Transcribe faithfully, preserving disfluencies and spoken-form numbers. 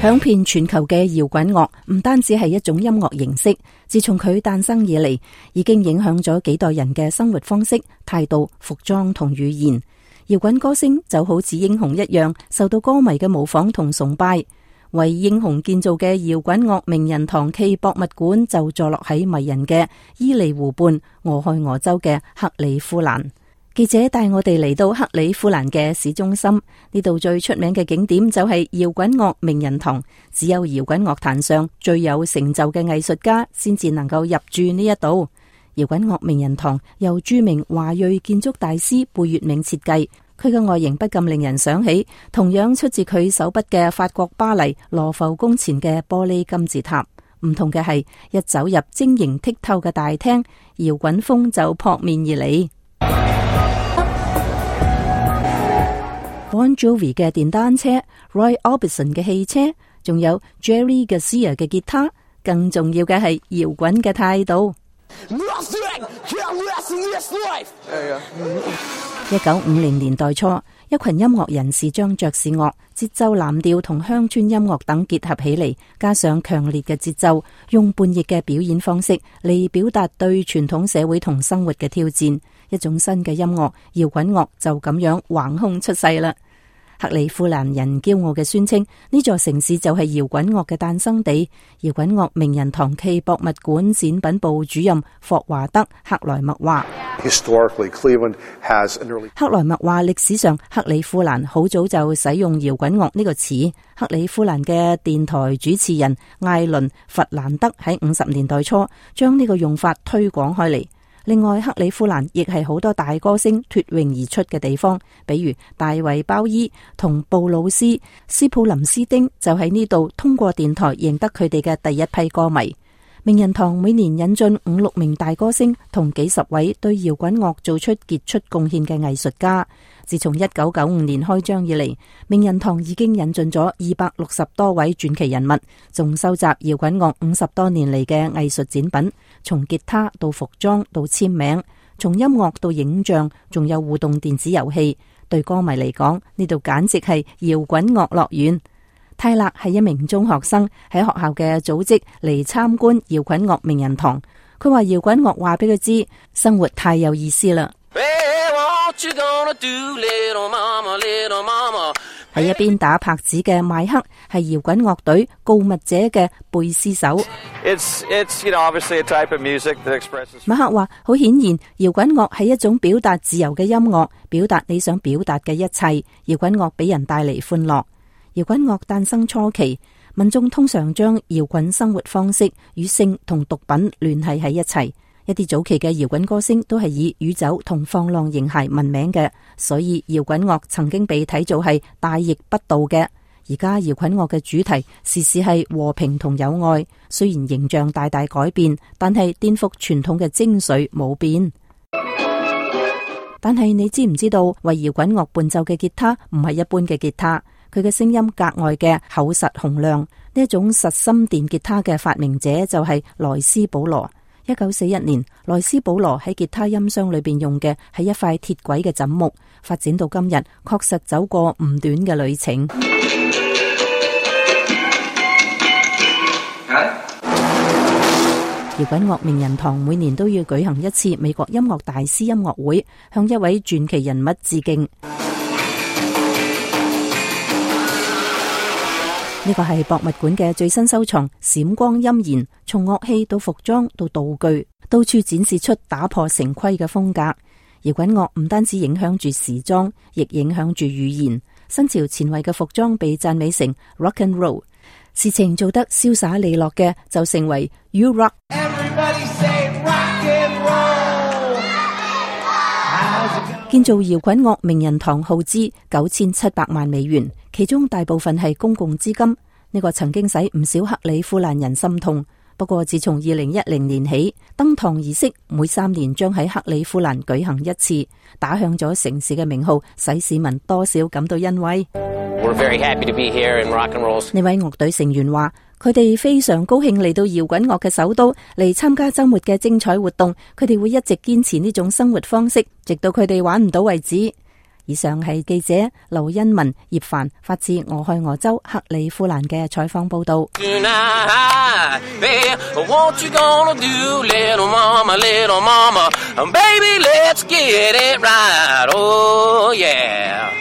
響遍全球嘅搖滾樂唔單止係一種音樂形式，自從佢誕生以嚟，已經影響咗幾代人嘅生活方式、態度、服裝同語言。搖滾歌星就好似英雄一樣，受到歌迷嘅模仿同崇拜。為英雄建造嘅搖滾樂名人堂暨博物館就坐落喺迷人嘅伊利湖畔俄亥俄州嘅克里夫蘭。記者帶我哋嚟到克里夫蘭嘅市中心，呢度最出名嘅景點就係搖滾樂名人堂。只有搖滾樂壇上最有成就嘅藝術家先至能夠入住呢一度。搖滾樂名人堂由著名華裔建築大師貝聿銘設計，佢嘅外形不禁令人想起同樣出自佢手筆嘅法國巴黎羅浮宮前嘅玻璃金字塔。唔同嘅係，一走入晶瑩剔透嘅大廳，搖滾風就撲面而嚟。Bon Jovi 嘅電單車、Roy Orbison 嘅汽車，仲有 Jerry Garcia 嘅吉他，更重要嘅係搖滾嘅態度。一九五零年代初，一群音樂人士將爵士樂、節奏藍調同鄉村音樂等結合起嚟，加上強烈嘅節奏，用叛逆嘅表演方式嚟表達對傳統社會同生活嘅挑戰。一種新嘅音樂搖滾樂就咁樣橫空出世啦。克里夫蘭人驕傲嘅宣稱，呢座城市就係搖滾樂嘅誕生地。搖滾樂名人堂暨博物館展品部主任霍華德克萊默話，克萊默話，歷史上克里夫蘭好早就使用搖滾樂呢個詞。克里夫蘭嘅電台主持人艾倫弗蘭德喺五十年代初將呢個用法推廣開嚟。另外，克里夫蘭亦係好多大歌星脫穎而出嘅地方，比如大衛鮑伊同布魯斯、斯普林斯丁就喺呢度通過電台贏得佢哋嘅第一批歌迷。名人堂每年引進五六名大歌星同幾十位對搖滾樂做出傑出貢獻嘅藝術家。自從一九九五年開張以嚟，名人堂已經引進咗二百六十多位傳奇人物，仲收集搖滾樂五十多年嚟嘅藝術展品，從吉他到服裝到簽名，從音樂到影像，仲有互動電子遊戲。對歌迷嚟講，呢度簡直係搖滾樂樂園。泰勒係一名中學生，喺學校嘅組織嚟參觀搖滾樂名人堂。佢話搖滾樂話俾佢知，生活太有意思啦。喺一邊打拍子嘅邁克係搖滾樂隊告密者嘅貝斯手。It's, it's, you know, obviously a type of music that expresses... 邁克話，好顯然，搖滾樂係一種表達自由嘅音樂，表達你想表達嘅一切。搖滾樂俾人帶嚟歡樂。搖滾樂誕生初期，民眾通常將搖滾生活方式與性同毒品聯繫喺一齊。一啲早期嘅搖滾歌星都係以酗酒同放浪形骸聞名嘅，所以搖滾樂曾經被睇做係大逆不道嘅。而家搖滾樂嘅主題時時係和平同友愛，雖然形象大大改變，但係顛覆傳統嘅精髓冇變。但係你知唔知道，為搖滾樂伴奏嘅吉他唔係一般嘅吉他，佢嘅聲音格外嘅厚實洪亮。呢一種實心電吉他嘅發明者就係萊斯保羅。一九四一年，萊斯保羅喺吉他音箱裏邊用嘅係一塊鐵軌嘅枕木，發展到今日，確實走過唔短嘅旅程。搖滾樂名人堂每年都要舉行一次美國音樂大師音樂會，向一位傳奇人物致敬。呢個係博物館嘅最新收藏，閃光陰燃，從樂器到服裝到道具，到處展示出打破成規嘅風格。搖滾樂唔單止影響住時裝，亦影響住語言。新潮前衛嘅服裝被讚美成 rock and roll， 事情做得瀟灑利落嘅就成為 you rock。建造搖滾樂名人堂耗資九千七百萬美元，其中大部分係公共資金。呢個曾經使唔少克里夫蘭人心痛。不過自從二零一零年起，登堂儀式每三年將喺克里夫蘭舉行一次，打響咗城市嘅名號，使市民多少感到欣慰。We're very happy to be here in rock and roll. 呢位樂隊成員話，佢哋非常高興嚟到搖滾樂嘅首都嚟參加周末嘅精彩活動，佢哋會一直堅持呢種生活方式，直到佢哋玩唔到為止。以上係記者劉欣文、葉凡發自俄亥俄州克里夫蘭嘅採訪報道。Tonight, babe, what you gonna do, little mama, little mama? Baby, let's get it right, oh yeah.